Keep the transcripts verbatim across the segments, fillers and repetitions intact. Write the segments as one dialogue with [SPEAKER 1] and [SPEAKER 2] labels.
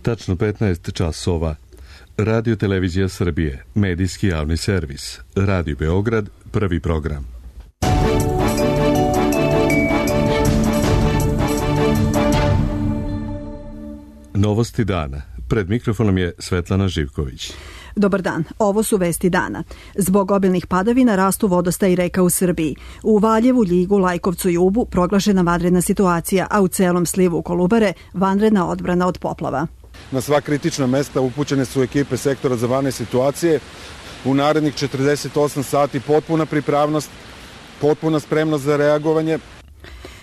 [SPEAKER 1] Tačno petnaest časova. Radio Televizija Srbije, medijski javni servis. Radio Beograd, prvi program. Novosti dana. Pred mikrofonom je Svetlana Živković.
[SPEAKER 2] Dobar dan, ovo su vesti dana. Zbog obilnih padavina rastu vodostaji reka u Srbiji. U Valjevu, Ljigu, Lajkovcu i Ubu proglašena vanredna situacija, a u celom slivu Kolubare vanredna odbrana od poplava.
[SPEAKER 3] Na sva kritična mesta upućene su ekipe sektora za vanredne situacije. U narednih četrdeset osam sati potpuna pripravnost, potpuna spremnost za reagovanje.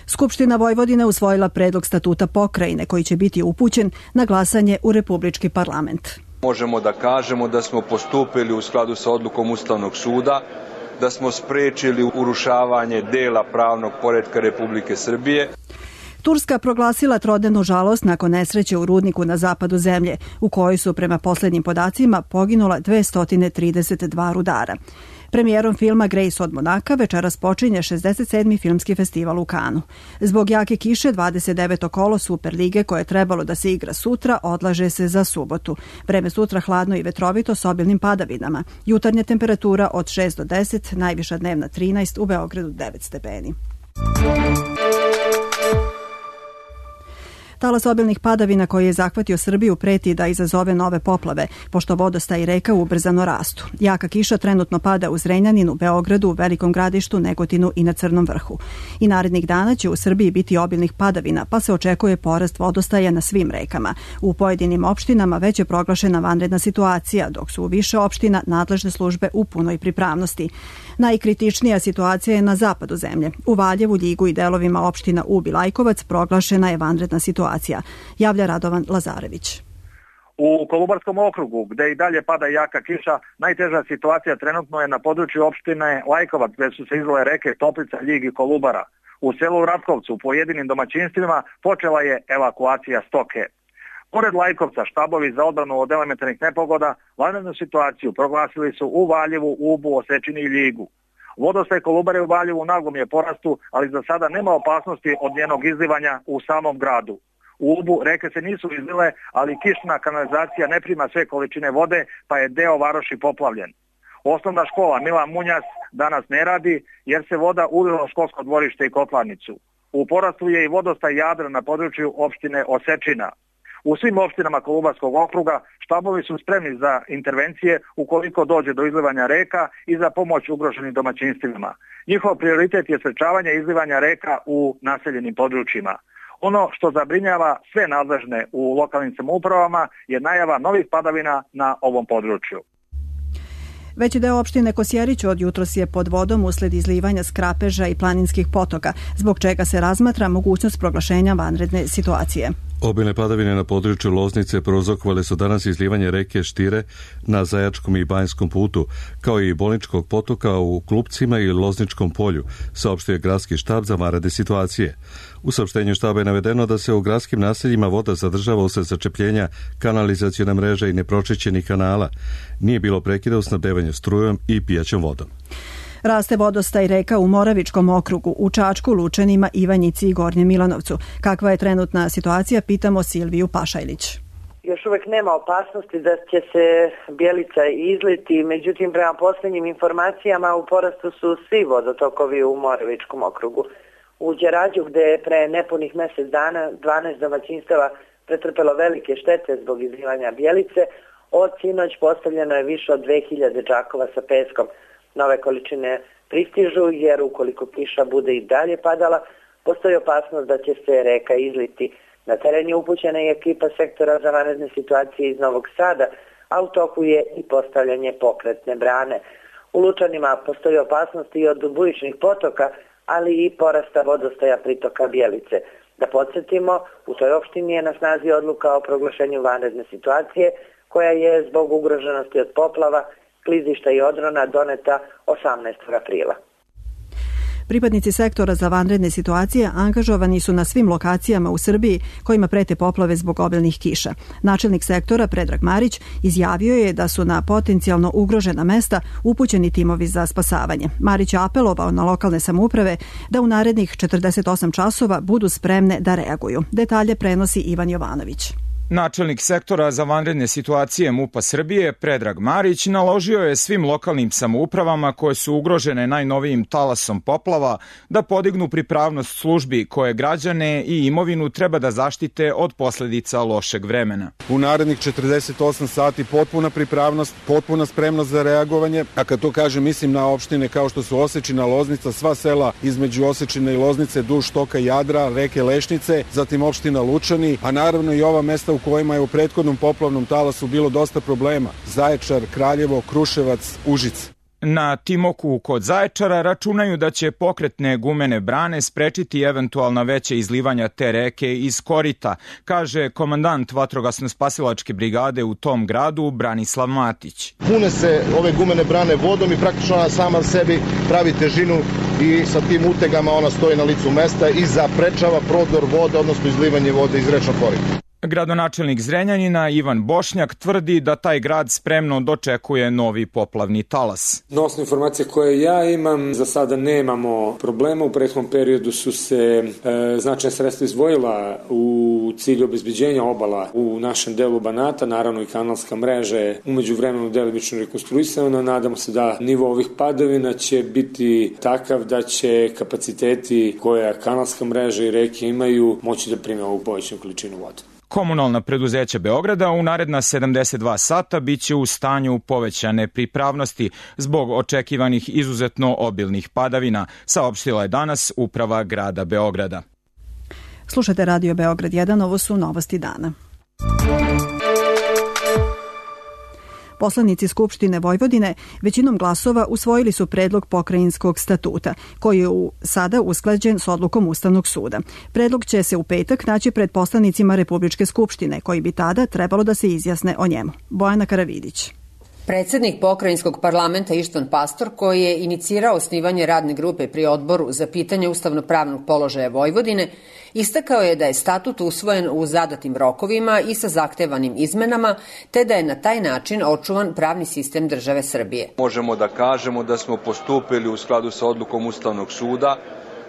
[SPEAKER 2] Skupština Vojvodine usvojila predlog statuta pokrajine koji će biti upućen na glasanje u Republički parlament.
[SPEAKER 4] Možemo da kažemo da smo postupili u skladu sa odlukom Ustavnog suda, da smo sprečili urušavanje dela pravnog poretka Republike Srbije.
[SPEAKER 2] Turska proglasila trodnevnu žalost nakon nesreće u rudniku na zapadu zemlje, u kojoj su prema poslednjim podacima poginula dvesta trideset dva rudara. Premijerom filma Grace od Monaka večeras počinje šezdeset sedmi filmski festival u Kanu. Zbog jake kiše dvadeset deveto kolo Superlige koje je trebalo da se igra sutra odlaže se za subotu. Vreme sutra hladno i vetrovito s obilnim padavinama. Jutarnja temperatura od šest do deset, najviša dnevna trinaest, u Beogradu devet stepeni. Talas obilnih padavina koji je zahvatio Srbiju preti da izazove nove poplave, pošto vodostaji reka ubrzano rastu. Jaka kiša trenutno pada u Zrenjaninu, Beogradu, Velikom Gradištu, Negotinu i na Crnom Vrhu. I narednih dana će u Srbiji biti obilnih padavina, pa se očekuje porast vodostaja na svim rekama. U pojedinim opštinama već je proglašena vanredna situacija, dok su u više opština nadležne službe u punoj pripravnosti. Najkritičnija situacija je na zapadu zemlje. U Valjevu, Ljigu i delovima opština Ub i Lajkovac proglašena je vanredna situacija, javlja Radovan Lazarević.
[SPEAKER 5] U Kolubarskom okrugu, gde i dalje pada jaka kiša, najteža situacija trenutno je na području opštine Lajkovac, gde su se izlile reke Toplica, Ljig i Kolubara. U selu Ratkovcu, u pojedinim domaćinstvima, počela je evakuacija stoke. Pored Lajkovca, štabovi za odbranu od elementarnih nepogoda vanrednu situaciju proglasili su u Valjevu, Ubu, Osečini i Ljigu. Vodostaj Kolubare u Valjevu naglom je porastu, ali za sada nema opasnosti od njenog izlivanja u samom gradu. U Ubu reke se nisu izlile, ali kišna kanalizacija ne prima sve količine vode, pa je deo varoši poplavljen. Osnovna škola Milan Munjas danas ne radi, jer se voda ulila u školsko dvorište i kotlarnicu. U porastu je i vodostaj Jadra na području opštine Osečina. U svim opštinama Kolubarskog okruga štabovi su spremni za intervencije ukoliko dođe do izlivanja reka i za pomoć ugroženim domaćinstvima. Njihov prioritet je sprečavanje izlivanja reka u naseljenim područjima. Ono što zabrinjava sve nadležne u lokalnim samoupravama je najava novih padavina na ovom području.
[SPEAKER 2] Veći deo opštine Kosjerić od jutros je pod vodom usled izlivanja skrapeža i planinskih potoka, zbog čega se razmatra mogućnost proglašenja vanredne situacije.
[SPEAKER 1] Obilne padavine na području Loznice prouzrokovale su danas izlivanje reke Štire na Zajačkom i Banjskom putu, kao i Bolničkog potoka u Klupcima i Lozničkom polju, saopštio je gradski štab za vanredne situacije. U saopštenju štaba je navedeno da se u gradskim naseljima voda zadržava usled začepljenja kanalizacione mreže i nepročišćenih kanala. Nije bilo prekida u snabdevanju strujom i pijaćom vodom.
[SPEAKER 2] Raste vodostaj reka u Moravičkom okrugu, u Čačku, Lučanima, Ivanjici i Gornjem Milanovcu. Kakva je trenutna situacija, pitamo Silviju Pašajlić.
[SPEAKER 6] Još uvek nema opasnosti da će se Bjelica izliti, međutim prema posljednjim informacijama u porastu su svi vodotokovi u Moravičkom okrugu. U Đerađu, gde je pre nepunih mjesec dana dvanaest domaćinstava pretrpelo velike štete zbog izlivanja Bjelice, od sinoć postavljeno je više od dve hiljade džakova sa peskom. Nove količine pristižu jer ukoliko kiša bude i dalje padala, postoji opasnost da će se reka izliti. Na teren je upućena i ekipa sektora za vanredne situacije iz Novog Sada, a u toku je i postavljanje pokretne brane. U Lučanima postoji opasnost i od bujičnih potoka, ali i porasta vodostaja pritoka Bjelice. Da podsjetimo, u toj opštini je na snazi odluka o proglašenju vanredne situacije, koja je zbog ugroženosti od poplava, klizišta i odrona doneta osamnaestog aprila.
[SPEAKER 2] Pripadnici sektora za vanredne situacije angažovani su na svim lokacijama u Srbiji kojima prete poplave zbog obilnih kiša. Načelnik sektora Predrag Marić izjavio je da su na potencijalno ugrožena mesta upućeni timovi za spasavanje. Marić je apelovao na lokalne samouprave da u narednih četrdeset osam časova budu spremne da reaguju. Detalje prenosi Ivan Jovanović.
[SPEAKER 7] Načelnik sektora za vanredne situacije MUP-a Srbije, Predrag Marić, naložio je svim lokalnim samoupravama koje su ugrožene najnovijim talasom poplava da podignu pripravnost službi koje građane i imovinu treba da zaštite od posledica lošeg vremena.
[SPEAKER 3] U narednih četrdeset osam sati potpuna pripravnost, potpuna spremnost za reagovanje, a kad to kažem mislim na opštine kao što su Osečina, Loznica, sva sela između Osečine i Loznice, duž toka Jadra, reke Lešnice, zatim opština Lučani, a naravno i ova mesta u kojima je u prethodnom poplavnom talasu bilo dosta problema. Zaječar, Kraljevo, Kruševac, Užice.
[SPEAKER 7] Na Timoku kod Zaječara računaju da će pokretne gumene brane sprečiti eventualna veća izlivanja te reke iz korita, kaže komandant vatrogasno-spasilačke brigade u tom gradu Branislav Matić.
[SPEAKER 8] Pune se ove gumene brane vodom i praktično ona sama sebi pravi težinu i sa tim utegama ona stoji na licu mesta i zaprečava prodor vode, odnosno izlivanje vode iz rečnog korita.
[SPEAKER 7] Gradonačelnik Zrenjanina Ivan Bošnjak tvrdi da taj grad spremno dočekuje novi poplavni talas.
[SPEAKER 9] Na osnovu informacije koje ja imam, za sada nemamo problema. U prethodnom periodu su se e, značajna sredstva izdvojila u cilju obezbeđenja obala u našem delu Banata, naravno i kanalska mreža je umeđu vremenu delimično rekonstruisana. Nadamo se da nivo ovih padavina će biti takav da će kapaciteti koja kanalska mreža i reke imaju moći da prime ovu povećanu količinu vode.
[SPEAKER 7] Komunalna preduzeća Beograda u naredna sedamdeset dva sata biće u stanju povećane pripravnosti zbog očekivanih izuzetno obilnih padavina, saopštila je danas uprava grada Beograda.
[SPEAKER 2] Slušajte Radio Beograd jedan, ovo su novosti dana. Poslanici Skupštine Vojvodine većinom glasova usvojili su predlog pokrajinskog statuta, koji je u, sada usklađen s odlukom Ustavnog suda. Predlog će se u petak naći pred poslanicima Republičke skupštine, koji bi tada trebalo da se izjasne o njemu. Bojana Karavidić.
[SPEAKER 10] Predsednik pokrajinskog parlamenta Ištvan Pastor, koji je inicirao osnivanje radne grupe pri odboru za pitanje ustavno-pravnog položaja Vojvodine, istakao je da je statut usvojen u zadatim rokovima i sa zahtevanim izmenama, te da je na taj način očuvan pravni sistem države Srbije.
[SPEAKER 4] Možemo da kažemo da smo postupili u skladu sa odlukom Ustavnog suda,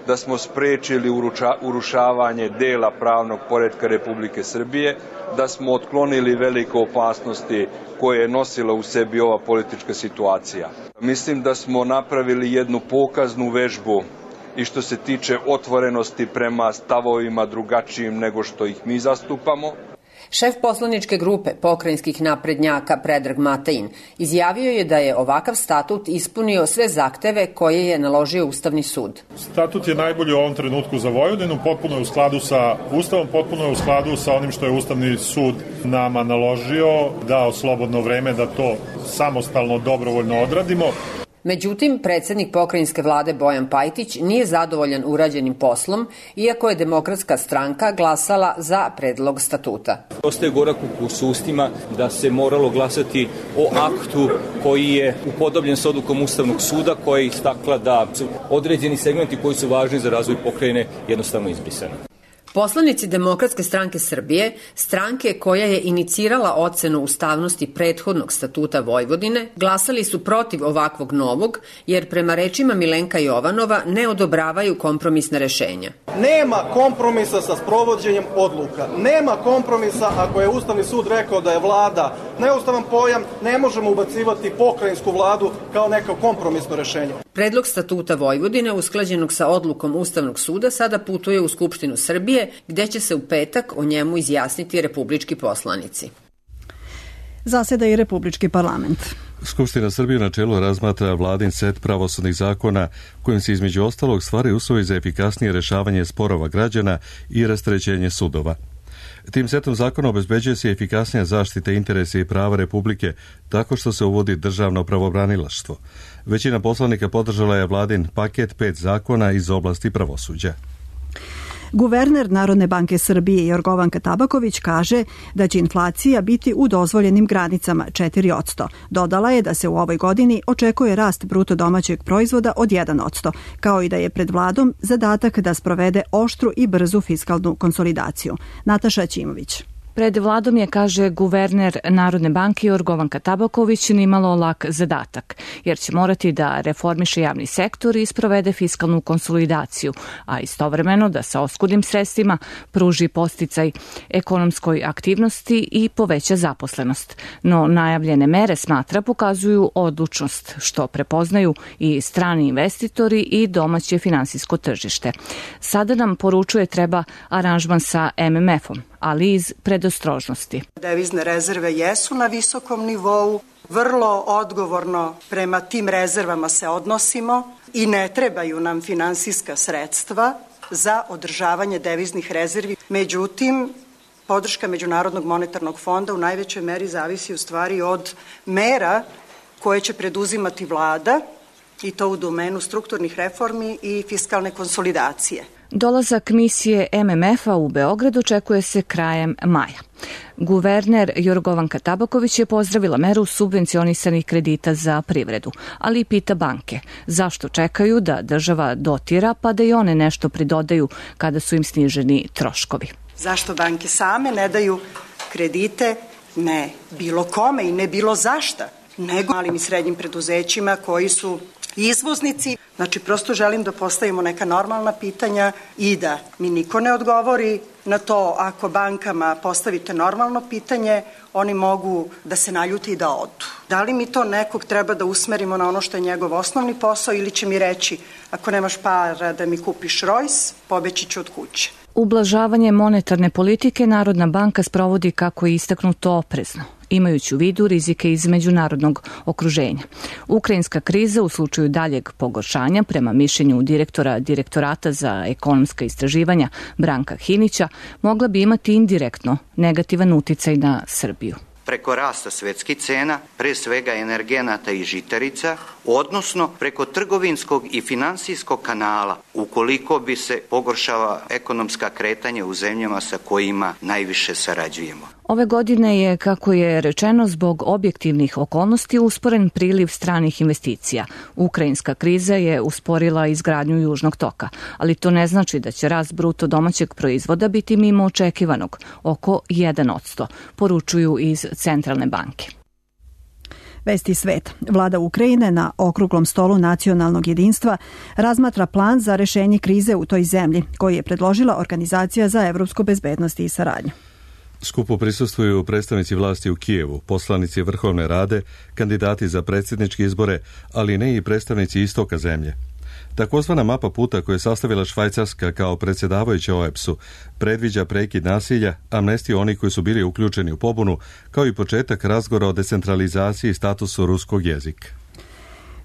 [SPEAKER 4] da smo sprečili uruča, urušavanje dela pravnog poretka Republike Srbije, da smo otklonili velike opasnosti koje je nosila u sebi ova politička situacija. Mislim da smo napravili jednu pokaznu vežbu i što se tiče otvorenosti prema stavovima drugačijim nego što ih mi zastupamo.
[SPEAKER 10] Šef poslaničke grupe pokrajinskih naprednjaka Predrag Matain izjavio je da je ovakav statut ispunio sve zahteve koje je naložio Ustavni sud.
[SPEAKER 11] Statut je najbolji u ovom trenutku za Vojvodinu, potpuno je u skladu sa Ustavom, potpuno je u skladu sa onim što je Ustavni sud nama naložio, dao slobodno vreme da to samostalno, dobrovoljno odradimo.
[SPEAKER 10] Međutim, predsednik pokrajinske vlade Bojan Pajtić nije zadovoljan urađenim poslom, iako je Demokratska stranka glasala za predlog statuta.
[SPEAKER 12] Ostaje gorak ukus u ustima da se moralo glasati o aktu koji je upodobljen s odlukom Ustavnog suda, koja je istakla da su određeni segmenti koji su važni za razvoj pokrajine jednostavno izbrisani.
[SPEAKER 10] Poslanici Demokratske stranke Srbije, stranke koja je inicirala ocenu ustavnosti prethodnog statuta Vojvodine, glasali su protiv ovakvog novog, jer prema rečima Milenka Jovanova ne odobravaju kompromisne rešenja.
[SPEAKER 13] Nema kompromisa sa sprovođenjem odluka. Nema kompromisa ako je Ustavni sud rekao da je vlada neustavan pojam, ne možemo ubacivati pokrajinsku vladu kao neko kompromisno rešenje.
[SPEAKER 10] Predlog statuta Vojvodine, usklađenog sa odlukom Ustavnog suda, sada putuje u Skupštinu Srbije, gde će se u petak o njemu izjasniti republički poslanici.
[SPEAKER 2] Zaseda i Republički parlament.
[SPEAKER 1] Skupština Srbije na čelu razmatra vladin set pravosudnih zakona kojim se između ostalog stvaraju uslovi za efikasnije rešavanje sporova građana i rasterećenje sudova. Tim setom zakona obezbeđuje se efikasnija zaštita interesa i prava Republike tako što se uvodi državno pravobranilaštvo. Većina poslanika podržala je vladin paket pet zakona iz oblasti pravosuđa.
[SPEAKER 2] Guverner Narodne banke Srbije Jorgovanka Tabaković kaže da će inflacija biti u dozvoljenim granicama četiri posto. Dodala je da se u ovoj godini očekuje rast bruto domaćeg proizvoda od jedan posto, kao i da je pred vladom zadatak da sprovede oštru i brzu fiskalnu konsolidaciju. Nataša Ćimović.
[SPEAKER 14] Pred vladom je, kaže guverner Narodne banke Jorgovanka Tabaković, nimalo lak zadatak, jer će morati da reformiše javni sektor i sprovede fiskalnu konsolidaciju, a istovremeno da sa oskudnim sredstvima pruži podsticaj ekonomskoj aktivnosti i poveća zaposlenost. No najavljene mere, smatra, pokazuju odlučnost, što prepoznaju i strani investitori i domaće finansijsko tržište. Sada nam poručuje treba aranžman sa em em efom, ali iz predostrožnosti.
[SPEAKER 15] Devizne rezerve jesu na visokom nivou, vrlo odgovorno prema tim rezervama se odnosimo i ne trebaju nam finansijska sredstva za održavanje deviznih rezervi. Međutim, podrška Međunarodnog monetarnog fonda u najvećoj meri zavisi u stvari od mera koje će preduzimati vlada, i to u domenu strukturnih reformi i fiskalne konsolidacije.
[SPEAKER 14] Dolazak misije em em efa u Beograd očekuje se krajem maja. Guverner Jorgovanka Tabaković je pozdravila meru subvencionisanih kredita za privredu, ali i pita banke zašto čekaju da država dotira pa da i one nešto pridodaju kada su im sniženi troškovi.
[SPEAKER 15] Zašto banke same ne daju kredite ne bilo kome i ne bilo zašta, nego malim i srednjim preduzećima koji su izvoznici. Znači, prosto želim da postavimo neka normalna pitanja i da mi niko ne odgovori na to. Ako bankama postavite normalno pitanje, oni mogu da se naljute i da odu. Da li mi to nekog treba da usmerimo na ono što je njegov osnovni posao ili će mi reći ako nemaš para da mi kupiš Rolls, pobeći ću od kuće.
[SPEAKER 14] Ublažavanje monetarne politike Narodna banka sprovodi, kako je istaknuto, oprezno, imajući u vidu rizike iz međunarodnog okruženja. Ukrajinska kriza u slučaju daljeg pogoršanja, prema mišljenju direktora Direktorata za ekonomska istraživanja Branka Hinića, mogla bi imati indirektno negativan uticaj na Srbiju.
[SPEAKER 16] Preko rasta svetskih cena, pre svega energenata i žitarica, odnosno preko trgovinskog i finansijskog kanala, ukoliko bi se pogoršava ekonomska kretanja u zemljama sa kojima najviše sarađujemo.
[SPEAKER 14] Ove godine je, kako je rečeno, zbog objektivnih okolnosti usporen priliv stranih investicija. Ukrajinska kriza je usporila izgradnju Južnog toka, ali to ne znači da će rast bruto domaćeg proizvoda biti mimo očekivanog, oko jedan posto, poručuju iz Centralne banke.
[SPEAKER 2] Vesti sveta. Vlada Ukrajine na okruglom stolu nacionalnog jedinstva razmatra plan za rešenje krize u toj zemlji, koji je predložila Organizacija za evropsku bezbednost i saradnju.
[SPEAKER 1] Skupu prisustvuju predstavnici vlasti u Kijevu, poslanici Vrhovne rade, kandidati za predsjedničke izbore, ali ne i predstavnici istoka zemlje. Takozvana mapa puta koju je sastavila Švajcarska kao predsjedavajuća o e pe es-u predviđa prekid nasilja, amnestiju onih koji su bili uključeni u pobunu, kao i početak razgovora o decentralizaciji i statusu ruskog jezika.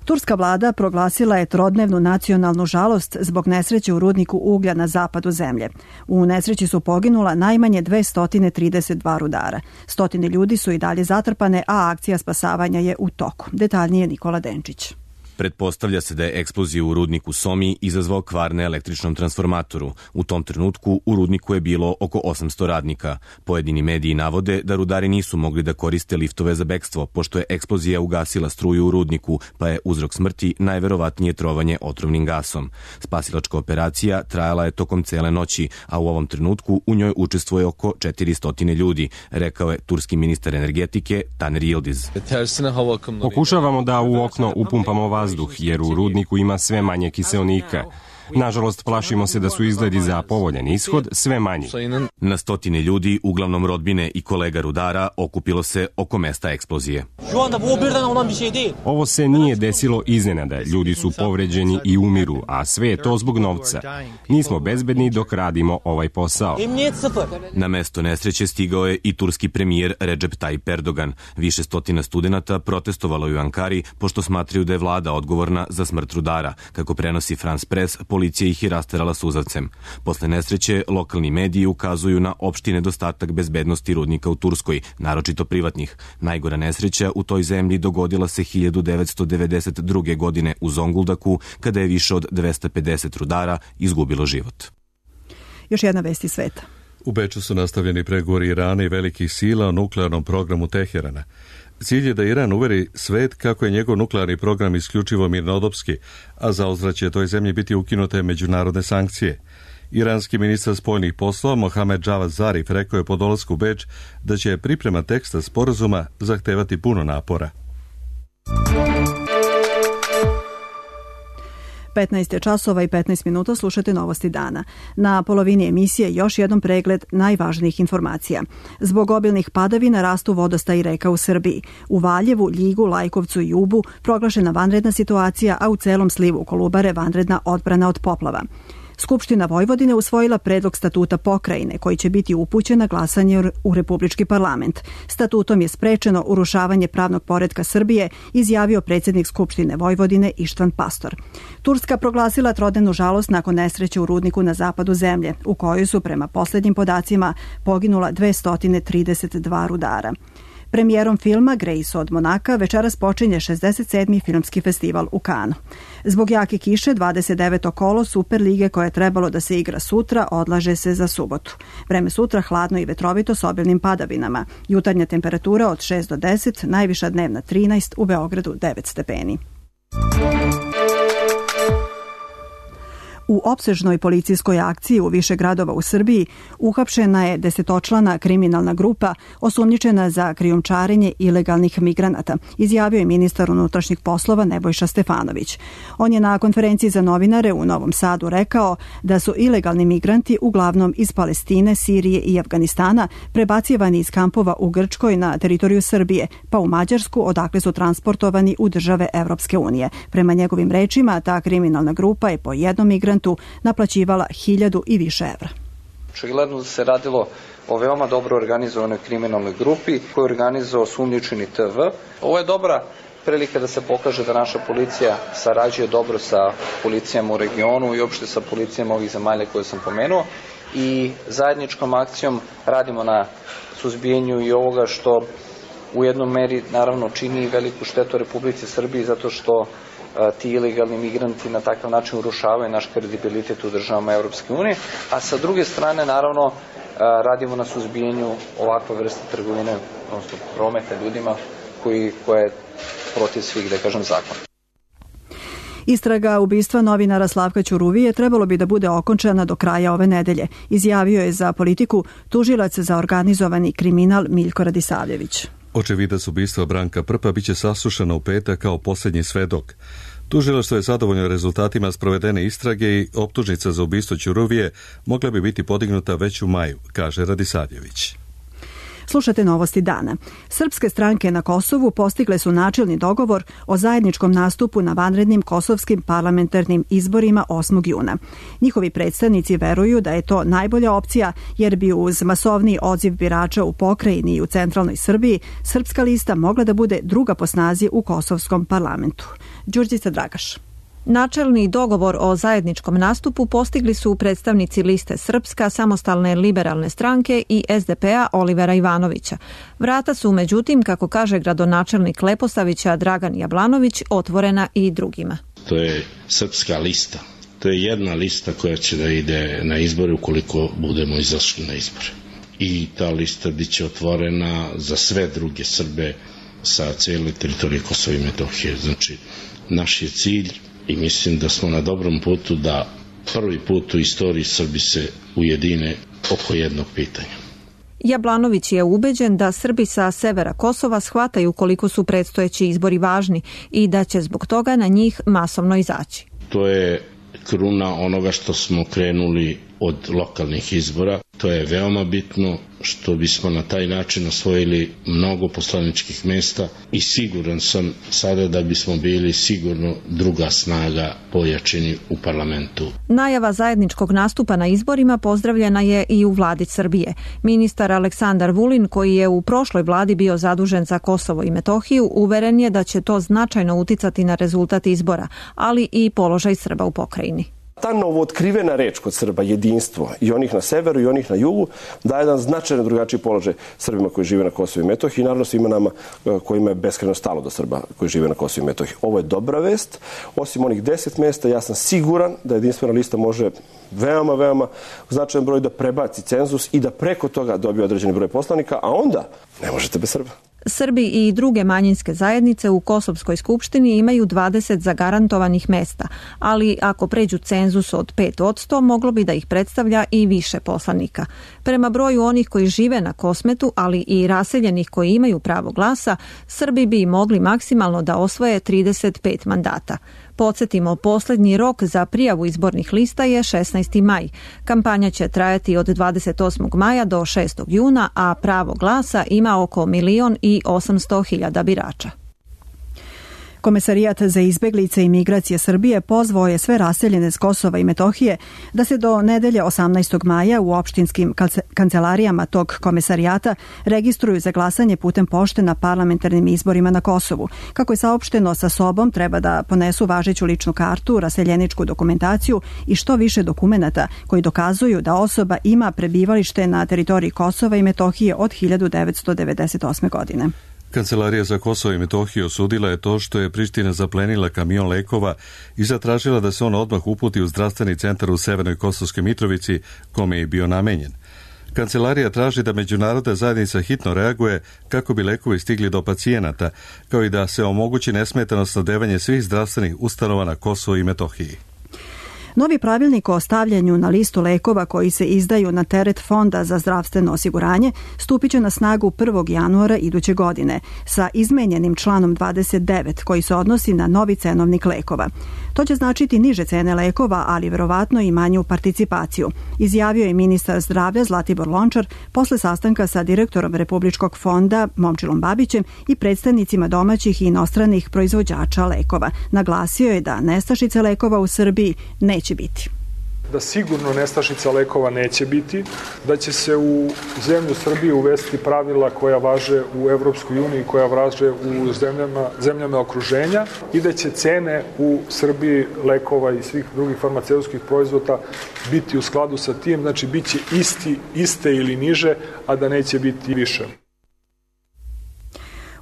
[SPEAKER 2] Turska vlada proglasila je trodnevnu nacionalnu žalost zbog nesreće u rudniku uglja na zapadu zemlje. U nesreći su poginula najmanje dvesta trideset dva rudara. Stotine ljudi su i dalje zatrpane, a akcija spasavanja je u toku. Detaljnije Nikola Denčić.
[SPEAKER 17] Pretpostavlja se da je eksploziju u rudniku Somi izazvao kvar na električnom transformatoru. U tom trenutku u rudniku je bilo oko osamsto radnika. Pojedini mediji navode da rudari nisu mogli da koriste liftove za bekstvo, pošto je eksplozija ugasila struju u rudniku, pa je uzrok smrti najverovatnije trovanje otrovnim gasom. Spasilačka operacija trajala je tokom cele noći, a u ovom trenutku u njoj učestvuje oko četiristo ljudi, rekao je turski ministar energetike Taner Yildiz.
[SPEAKER 18] Pokušavamo da u okno upumpamo vazduh, jer u rudniku ima sve manje kiseonika. Nažalost, plašimo se da su izgledi za povoljan ishod sve manji.
[SPEAKER 17] Na stotine ljudi, uglavnom rodbine i kolega rudara, okupilo se oko mesta eksplozije.
[SPEAKER 18] Ovo se nije desilo iznenada. Ljudi su povređeni i umiru, a sve je to zbog novca. Nismo bezbedni dok radimo ovaj posao.
[SPEAKER 17] Na mesto nesreće stigao je i turski premijer Recep Tayyip Erdogan. Više stotina studenata protestovalo je u Ankari, pošto smatraju da je vlada odgovorna za smrt rudara. Kako prenosi France Press, policija ih je rasterala suzavcem. Posle nesreće, lokalni mediji ukazuju na opšti nedostatak bezbednosti rudnika u Turskoj, naročito privatnih. Najgora nesreća u toj zemlji dogodila se hiljadu devetsto devedeset druge. godine u Zonguldaku, kada je više od dvesta pedeset rudara izgubilo život.
[SPEAKER 2] Još jedna vest iz sveta.
[SPEAKER 1] U Beču su nastavljeni pregovori Irana i velikih sila o nuklearnom programu Teherana. Cilj je da Iran uveri svet kako je njegov nuklearni program isključivo mirnodopski, a za ozvrat će toj zemlji biti ukinute međunarodne sankcije. Iranski ministar spoljnih poslova Mohamed Javad Zarif rekao je po dolasku u Beč da će priprema teksta sporazuma zahtevati puno napora.
[SPEAKER 2] petnaest časova i petnaest minuta, slušate Novosti dana. Na polovini emisije još jedan pregled najvažnijih informacija. Zbog obilnih padavina rastu vodostaj reka u Srbiji. U Valjevu, Ljigu, Lajkovcu i Ubu proglašena vanredna situacija, a u celom slivu Kolubare vanredna odbrana od poplava. Skupština Vojvodine usvojila predlog statuta pokrajine koji će biti upućen na glasanje u Republički parlament. Statutom je sprečeno urušavanje pravnog poretka Srbije, izjavio predsjednik Skupštine Vojvodine Ištvan Pastor. Turska proglasila trodnevnu žalost nakon nesreće u rudniku na zapadu zemlje, u kojoj su prema posljednjim podacima poginula dvesta trideset dva rudara. Premijerom filma Grace od Monaka večeras počinje šezdeset sedmi filmski festival u Kanu. Zbog jake kiše dvadeset deveto kolo Super lige koje je trebalo da se igra sutra odlaže se za subotu. Vreme sutra hladno i vetrovito s obilnim padavinama. Jutarnja temperatura od šest do deset, najviša dnevna trinaest, u Beogradu devet stepeni. U opsežnoj policijskoj akciji u više gradova u Srbiji uhapšena je desetočlana kriminalna grupa osumnjičena za krijumčarenje ilegalnih migranata, izjavio je ministar unutrašnjih poslova Nebojša Stefanović. On je na konferenciji za novinare u Novom Sadu rekao da su ilegalni migranti uglavnom iz Palestine, Sirije i Afganistana prebacivani iz kampova u Grčkoj na teritoriju Srbije, pa u Mađarsku, odakle su transportovani u države Evropske unije. Prema njegovim rečima, ta kriminalna grupa je po jednom migrantu naplaćivala hiljadu i više evra.
[SPEAKER 19] Očigledno da se radilo o veoma dobro organizovanoj kriminalnoj grupi koju je organizovao osumnjičeni T V. Ovo je dobra prilika da se pokaže da naša policija sarađuje dobro sa policijama u regionu i uopšte sa policijama ovih zemalja koje sam pomenuo i zajedničkom akcijom radimo na suzbijanju i ovoga što u jednom meri naravno čini veliku štetu Republici Srbiji zato što ti ilegalni migranti na takav način urušavaju naš kredibilitet u državama Evropske unije, a sa druge strane naravno radimo na suzbijanju ovakve vrste trgovine, odnosno prometa ljudima koji, koja je protiv svih, da kažem, zakona.
[SPEAKER 2] Istraga ubistva novinara Slavka Ćuruvije trebalo bi da bude okončana do kraja ove nedelje, izjavio je za Politiku tužilac za organizovani kriminal Miljko Radisavljević.
[SPEAKER 1] Očevidac ubistva Branka Prpa biće saslušana u petak kao posljednji svedok. Tužilaštvo je zadovoljno rezultatima sprovedene istrage i optužnica za ubistvo Ćuruvije mogla bi biti podignuta već u maju, kaže Radisavljević.
[SPEAKER 2] Slušate Novosti dana. Srpske stranke na Kosovu postigle su načelni dogovor o zajedničkom nastupu na vanrednim kosovskim parlamentarnim izborima osmog juna. Njihovi predstavnici veruju da je to najbolja opcija jer bi uz masovni odziv birača u pokrajini i u centralnoj Srbiji srpska lista mogla da bude druga po snazi u kosovskom parlamentu. Đurđica Dragaš.
[SPEAKER 20] Načelni dogovor o zajedničkom nastupu postigli su predstavnici liste Srpska, Samostalne liberalne stranke i S D P-a Olivera Ivanovića. Vrata su, međutim, kako kaže gradonačelnik Leposavića Dragan Jablanović, otvorena i drugima.
[SPEAKER 21] To je Srpska lista. To je jedna lista koja će da ide na izbore ukoliko budemo izašli na izbore. I ta lista biće otvorena za sve druge Srbe sa cijele teritorije Kosova i Metohije. Znači, naš je cilj i mislim da smo na dobrom putu da prvi put u istoriji Srbi se ujedine oko jednog pitanja.
[SPEAKER 20] Jablanović je ubeđen da Srbi sa severa Kosova shvataju koliko su predstojeći izbori važni i da će zbog toga na njih masovno izaći.
[SPEAKER 21] To je kruna onoga što smo krenuli od lokalnih izbora. To je veoma bitno što bismo na taj način osvojili mnogo poslaničkih mesta i siguran sam sada da bismo bili sigurno druga snaga pojačeni u parlamentu.
[SPEAKER 20] Najava zajedničkog nastupa na izborima pozdravljena je i u vladi Srbije. Ministar Aleksandar Vulin, koji je u prošloj vladi bio zadužen za Kosovo i Metohiju, uveren je da će to značajno uticati na rezultat izbora, ali i položaj Srba u pokrajini.
[SPEAKER 22] Ta novootkrivena reč kod Srba, jedinstvo, i onih na severu i onih na jugu, daje jedan značajno drugačiji položaj Srbima koji žive na Kosovu i Metohiji i naravno svima nama kojima je beskrajno stalo do Srba koji žive na Kosovu i Metohiji. Ovo je dobra vest. Osim onih deset mesta, ja sam siguran da jedinstvena lista može veoma, veoma značajan broj da prebaci cenzus i da preko toga dobije određeni broj poslanika, a onda ne možete bez Srba.
[SPEAKER 20] Srbi i druge manjinske zajednice u Kosovskoj skupštini imaju dvadeset zagarantovanih mesta, ali ako pređu cenzus od pet posto, moglo bi da ih predstavlja i više poslanika. Prema broju onih koji žive na Kosmetu, ali i raseljenih koji imaju pravo glasa, Srbi bi mogli maksimalno da osvoje trideset pet mandata. Podsjetimo, poslednji rok za prijavu izbornih lista je šesnaesti maj. Kampanja će trajati od dvadeset osmog maja do šestog juna, a pravo glasa ima oko milion i osamsto hiljada birača.
[SPEAKER 2] Komesarijat za izbeglice i migracije Srbije pozvao je sve raseljene s Kosova i Metohije da se do nedelje osamnaestog maja u opštinskim kancelarijama tog komesarijata registruju za glasanje putem pošte na parlamentarnim izborima na Kosovu. Kako je saopšteno, sa sobom treba da ponesu važeću ličnu kartu, raseljeničku dokumentaciju i što više dokumenata koji dokazuju da osoba ima prebivalište na teritoriji Kosova i Metohije od hiljadu devetsto devedeset osme. godine.
[SPEAKER 1] Kancelarija za Kosovo i Metohiju osudila je to što je Priština zaplenila kamion lekova i zatražila da se on odmah uputi u zdravstveni centar u Severnoj Kosovskoj Mitrovici, kome je bio namenjen. Kancelarija traži da međunarodna zajednica hitno reaguje kako bi lekovi stigli do pacijenata, kao i da se omogući nesmetano snabdevanje svih zdravstvenih ustanova na Kosovo i Metohiji.
[SPEAKER 2] Novi pravilnik o stavljanju na listu lekova koji se izdaju na teret Fonda za zdravstveno osiguranje stupit će na snagu prvog januara iduće godine sa izmenjenim članom dvadeset devet koji se odnosi na novi cenovnik lekova. To će značiti niže cene lekova, ali verovatno i manju participaciju, izjavio je ministar zdravlja Zlatibor Lončar posle sastanka sa direktorom Republičkog fonda Momčilom Babićem i predstavnicima domaćih i inostranih proizvođača lekova. Naglasio je da nestašice lekova u Srbiji neće biti.
[SPEAKER 5] Da sigurno nestašica lekova neće biti, da će se u zemlju Srbije uvesti pravila koja važe u Evropskoj uniji, koja važe u zemljama, zemljama okruženja i da će cene u Srbiji lekova i svih drugih farmaceutskih proizvoda biti u skladu sa tim, znači bit će isti, iste ili niže, a da neće biti više.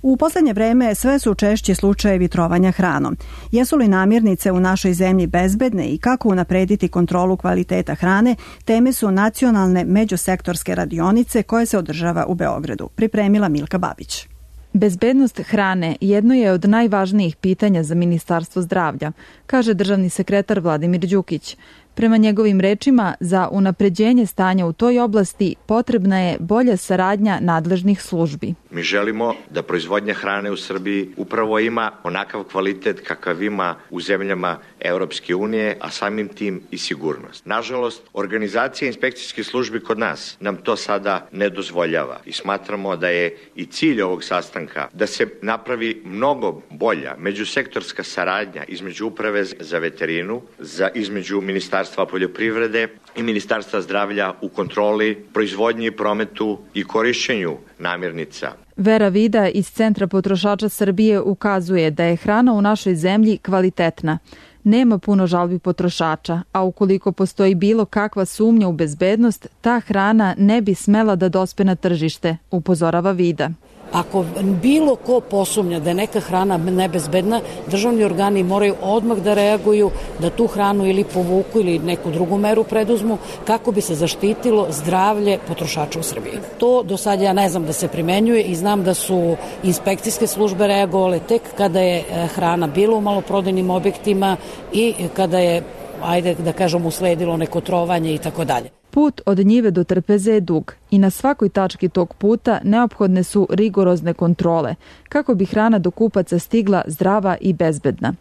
[SPEAKER 2] U poslednje vreme sve su češći slučajevi trovanja hranom. Jesu li namirnice u našoj zemlji bezbedne i kako unaprediti kontrolu kvaliteta hrane, teme su nacionalne međusektorske radionice koje se održava u Beogradu. Pripremila Milka Babić.
[SPEAKER 6] Bezbednost hrane jedno je od najvažnijih pitanja za Ministarstvo zdravlja, kaže državni sekretar Vladimir Đukić. Prema njegovim rečima, za unapređenje stanja u toj oblasti potrebna je bolja saradnja nadležnih službi.
[SPEAKER 23] Mi želimo da proizvodnja hrane u Srbiji upravo ima onakav kvalitet kakav ima u zemljama Europske unije, a samim tim i sigurnost. Nažalost, organizacija inspekcijskih službi kod nas nam to sada ne dozvoljava i smatramo da je i cilj ovog sastanka da se napravi mnogo bolja međusektorska saradnja između Uprave za veterinu, za između Ministarstva poljoprivrede i Ministarstva zdravlja u kontroli, proizvodnji, prometu i korišćenju namirnica.
[SPEAKER 6] Vera Vida iz Centra potrošača Srbije ukazuje da je hrana u našoj zemlji kvalitetna. Nema puno žalbi potrošača, a ukoliko postoji bilo kakva sumnja u bezbednost, ta hrana ne bi smela da dospe na tržište, upozorava Vida.
[SPEAKER 24] Ako bilo ko posumnja da je neka hrana nebezbedna, državni organi moraju odmah da reaguju, da tu hranu ili povuku ili neku drugu meru preduzmu kako bi se zaštitilo zdravlje potrošača u Srbiji. To do sad ja ne znam da se primenjuje i znam da su inspekcijske službe reagovale tek kada je hrana bila u maloprodajnim objektima i kada je, ajde da kažem, usledilo neko trovanje i tako dalje.
[SPEAKER 6] Put od njive do trpeze je dug i na svakoj tački tog puta neophodne su rigorozne kontrole kako bi hrana do kupaca stigla zdrava i bezbedna.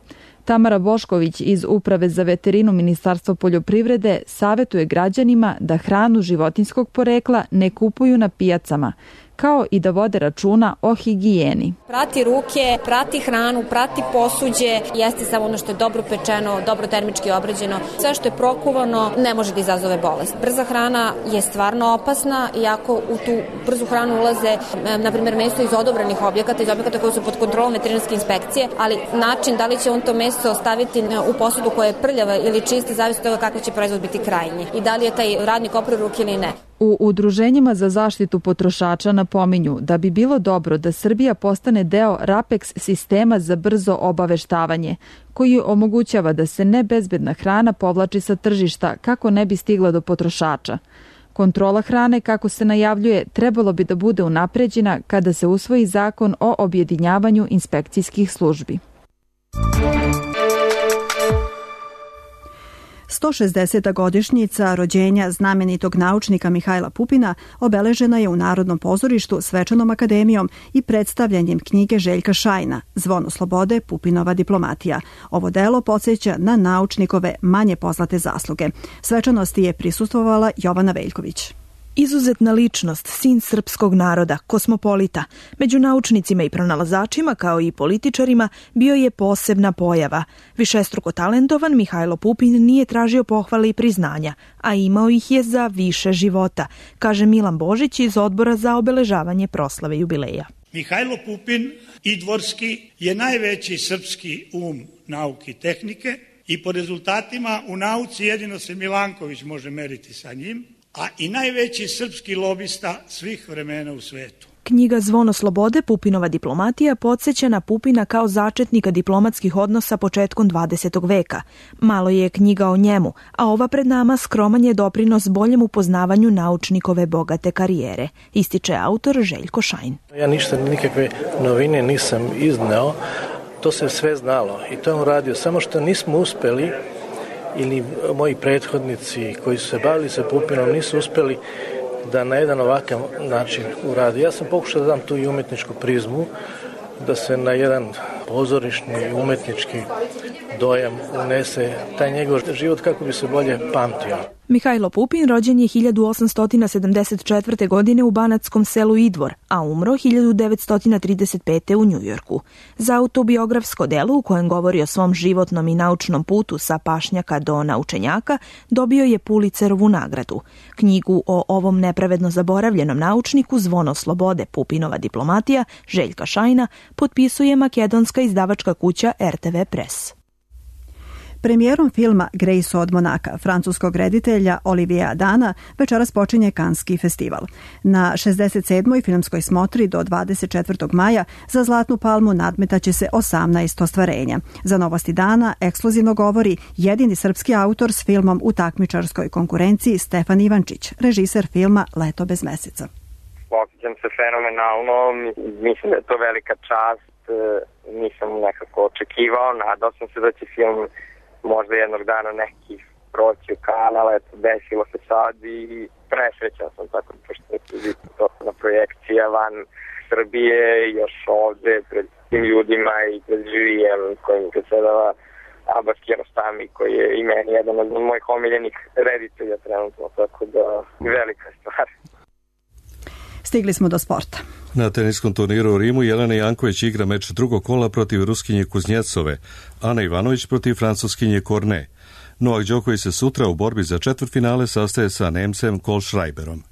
[SPEAKER 6] Tamara Bošković iz Uprave za veterinu Ministarstva poljoprivrede savetuje građanima da hranu životinjskog porekla ne kupuju na pijacama, kao i da vode računa o higijeni.
[SPEAKER 25] Prati ruke, prati hranu, prati posuđe, jeste samo ono što je dobro pečeno, dobro termički obrađeno. Sve što je prokuvano ne može da izazove bolest. Brza hrana je stvarno opasna, iako u tu brzu hranu ulaze, na primjer, meso iz odobrenih objekata, iz objekata koji su pod kontrolom veterinarske inspekcije, ali način da li će on to meso staviti u posudu koja je prljava ili čista, zavisi od toga kakav će proizvod biti krajnji i da li je taj radnik oprao ruke ili ne.
[SPEAKER 6] U udruženjima za zaštitu potrošača napominju da bi bilo dobro da Srbija postane deo RAPEX sistema za brzo obaveštavanje, koji omogućava da se nebezbedna hrana povlači sa tržišta kako ne bi stigla do potrošača. Kontrola hrane, kako se najavljuje, trebalo bi da bude unapređena kada se usvoji zakon o objedinjavanju inspekcijskih službi.
[SPEAKER 2] sto šezdeseta godišnjica rođenja znamenitog naučnika Mihajla Pupina obeležena je u Narodnom pozorištu svečanom akademijom i predstavljanjem knjige Željka Šajna Zvono slobode, Pupinova diplomatija. Ovo delo podsjeća na naučnikove manje poznate zasluge. Svečanosti je prisustvovala Jovana Veljković.
[SPEAKER 3] Izuzetna ličnost, sin srpskog naroda, kosmopolita. Među naučnicima i pronalazačima, kao i političarima, bio je posebna pojava. Višestruko talentovan Mihajlo Pupin nije tražio pohvale i priznanja, a imao ih je za više života, kaže Milan Božić iz Odbora za obeležavanje proslave jubileja.
[SPEAKER 4] Mihajlo Pupin, idvorski, je najveći srpski um nauke i tehnike i po rezultatima u nauci jedino se Milanković može meriti sa njim, a i najveći srpski lobista svih vremena u svetu.
[SPEAKER 3] Knjiga Zvono slobode, Pupinova diplomatija podsjeća na Pupina kao začetnika diplomatskih odnosa početkom dvadesetog veka. Malo je knjiga o njemu, a ova pred nama skroman je doprinos boljem upoznavanju naučnikove bogate karijere, ističe autor Željko Šajn.
[SPEAKER 7] Ja ništa, nikakve novine nisam izneo, to se sve znalo i to je on radio, samo što nismo uspeli ili moji prethodnici koji su se bavili sa Pupinom nisu uspeli da na jedan ovakav način uradi. Ja sam pokušao da dam tu i umetničku prizmu, da se na jedan pozorišni i umetnički dojam unese taj njegov život kako bi se bolje pamtio.
[SPEAKER 3] Mihajlo Pupin rođen je hiljadu osamsto sedamdeset četvrte. godine u banatskom selu Idvor, a umro hiljadu devetsto trideset pete. u Njujorku. Za autobiografsko delo u kojem govori o svom životnom i naučnom putu sa pašnjaka do naučenjaka dobio je Pulitzerovu nagradu. Knjigu o ovom nepravedno zaboravljenom naučniku Zvono slobode, Pupinova diplomatija Željka Šajna potpisuje makedonska izdavačka kuća er te ve Press.
[SPEAKER 2] Premijerom filma Grace od Monaka, francuskog reditelja Oliviera Adana, večeras počinje Kanski festival. Na šezdeset sedmoj filmskoj smotri do dvadeset četvrtog maja za Zlatnu palmu nadmetaće se osamnaest ostvarenja. Za Novosti dana ekskluzivno govori jedini srpski autor s filmom u takmičarskoj konkurenciji Stefan Ivančić, režiser filma Leto bez meseca.
[SPEAKER 8] Osjećam se fenomenalno, mislim da je to velika čast, nisam nekako očekivao, nadao sam se da će film možda jednog dana neki proći u kanal, eto, desilo se sad i presrećan sam tako pošto je to na projekcija van Srbije, još ovde pred tim ljudima i pred živijem kojim predsedava Abbas Kiarostami, koji je i meni jedan od mojih omiljenih reditelja trenutno, tako da velika stvar.
[SPEAKER 2] Stigli smo do sporta.
[SPEAKER 1] Na teniskom turniru u Rimu Jelena Janković igra meč drugog kola protiv Ruskinje Kuznjecove, Ana Ivanović protiv Francuskinje Korne. Novak Đoković se sutra u borbi za četvrtfinale sastaje sa Nemcem Kohlschreiberom.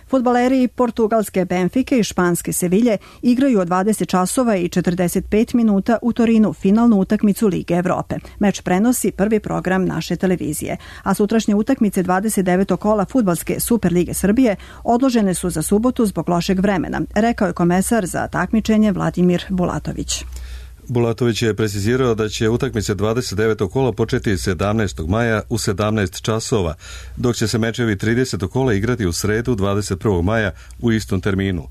[SPEAKER 2] Fudbaleri portugalske Benfike i španske Sevilje igraju od dvadeset časova i četrdeset pet minuta u Torinu finalnu utakmicu Lige Evrope. Meč prenosi prvi program naše televizije, a sutrašnje utakmice dvadeset devetog kola fudbalske Super Lige Srbije odložene su za subotu zbog lošeg vremena, rekao je komesar za takmičenje Vladimir Bulatović.
[SPEAKER 1] Bulatović je precizirao da će utakmice dvadeset devetog kola početi sedamnaestog maja u sedamnaest časova, dok će se mečevi tridesetog kola igrati u sredu dvadeset prvog maja u istom terminu.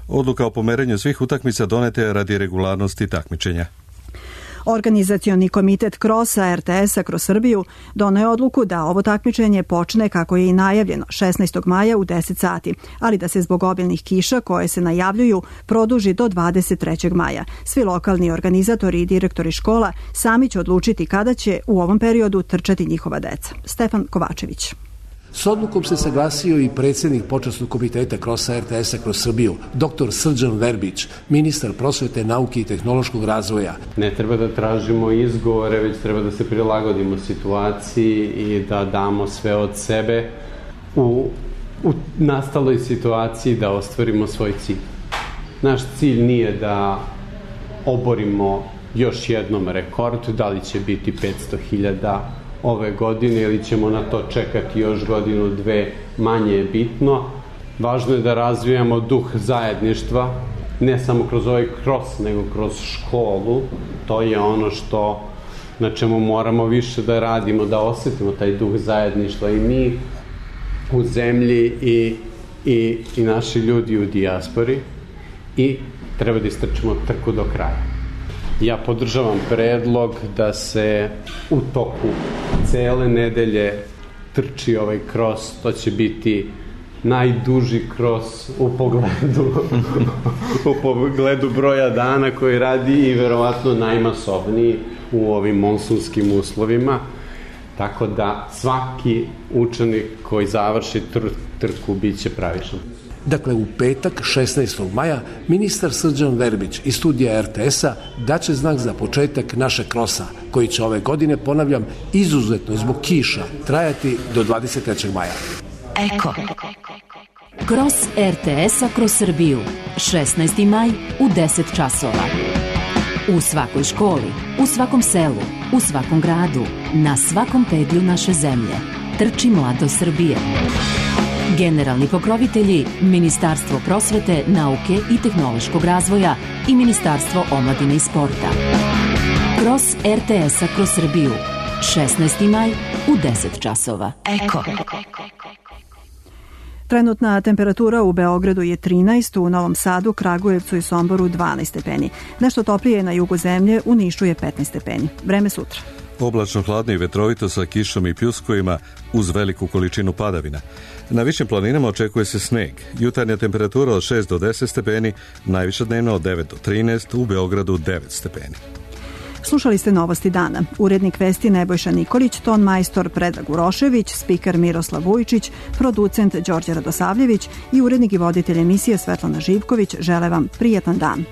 [SPEAKER 1] Odluka o pomeranju svih utakmica donete je radi regularnosti takmičenja.
[SPEAKER 2] Organizacioni komitet Krosa er te esa kroz Srbiju doneo je odluku da ovo takmičenje počne kako je i najavljeno šesnaestog maja u deset sati, ali da se zbog obilnih kiša koje se najavljuju produži do dvadeset trećeg maja. Svi lokalni organizatori i direktori škola sami će odlučiti kada će u ovom periodu trčati njihova deca. Stefan Kovačević.
[SPEAKER 9] S odlukom se saglasio i predsjednik počasnog komiteta Krosa er te esa kroz Srbiju, doktor Srđan Verbić, ministar prosvete, nauke i tehnološkog razvoja.
[SPEAKER 26] Ne treba da tražimo izgovore, već treba da se prilagodimo situaciji i da damo sve od sebe u, u nastaloj situaciji da ostvarimo svoj cilj. Naš cilj nije da oborimo još jednom rekord, da li će biti petsto hiljada ove godine ili ćemo na to čekati još godinu, dve, manje je bitno. Važno je da razvijamo duh zajedništva, ne samo kroz ovaj kros, nego kroz školu. To je ono što, na čemu moramo više da radimo, da osetimo taj duh zajedništva i mi u zemlji i, i, i naši ljudi u dijaspori i treba da istrčimo trku do kraja. Ja podržavam predlog da se u toku cele nedelje trči ovaj kros, to će biti najduži kros u pogledu u pogledu broja dana koji radi i verovatno najmasovniji u ovim monsunskim uslovima, tako da svaki učenik koji završi tr trku bit će pravičan.
[SPEAKER 9] Dakle, u petak, šesnaestog maja, ministar Srđan Verbić iz studija er te es-a daće znak za početak našeg krosa, koji će ove godine, ponavljam, izuzetno zbog kiša, trajati do dvadeset trećeg maja.
[SPEAKER 10] Eko. Kros er te es-a kroz Srbiju. šesnaesti maj u deset časova. U svakoj školi, u svakom selu, u svakom gradu, na svakom pedlju naše zemlje. Trči mladost Srbije. Generalni pokrovitelji Ministarstvo prosvete, nauke i tehnološkog razvoja i Ministarstvo omladine i sporta. Kros er te es-a kroz Srbiju. šesnaesti maj u deset časova. Eko.
[SPEAKER 2] Trenutna temperatura u Beogradu je trinaest, u Novom Sadu, Kragujevcu i Somboru dvanaest stepeni. Nešto toplije na jugu zemlje, u Nišu je petnaest stepeni. Vreme sutra.
[SPEAKER 1] Oblačno, hladno i vetrovito sa kišom i pljuskovima uz veliku količinu padavina. Na višim planinama očekuje se sneg. Jutarnja temperatura od šest do deset stepeni, najviša dnevna od devet do trinaest, u Beogradu devet stepeni.
[SPEAKER 2] Slušali ste Novosti dana. Urednik vesti Nebojša Nikolić, ton majstor Predrag Urošević, spiker Miroslav Vujčić, producent Đorđe Radosavljević i urednik i voditelj emisije Svetlana Živković žele vam prijetan dan.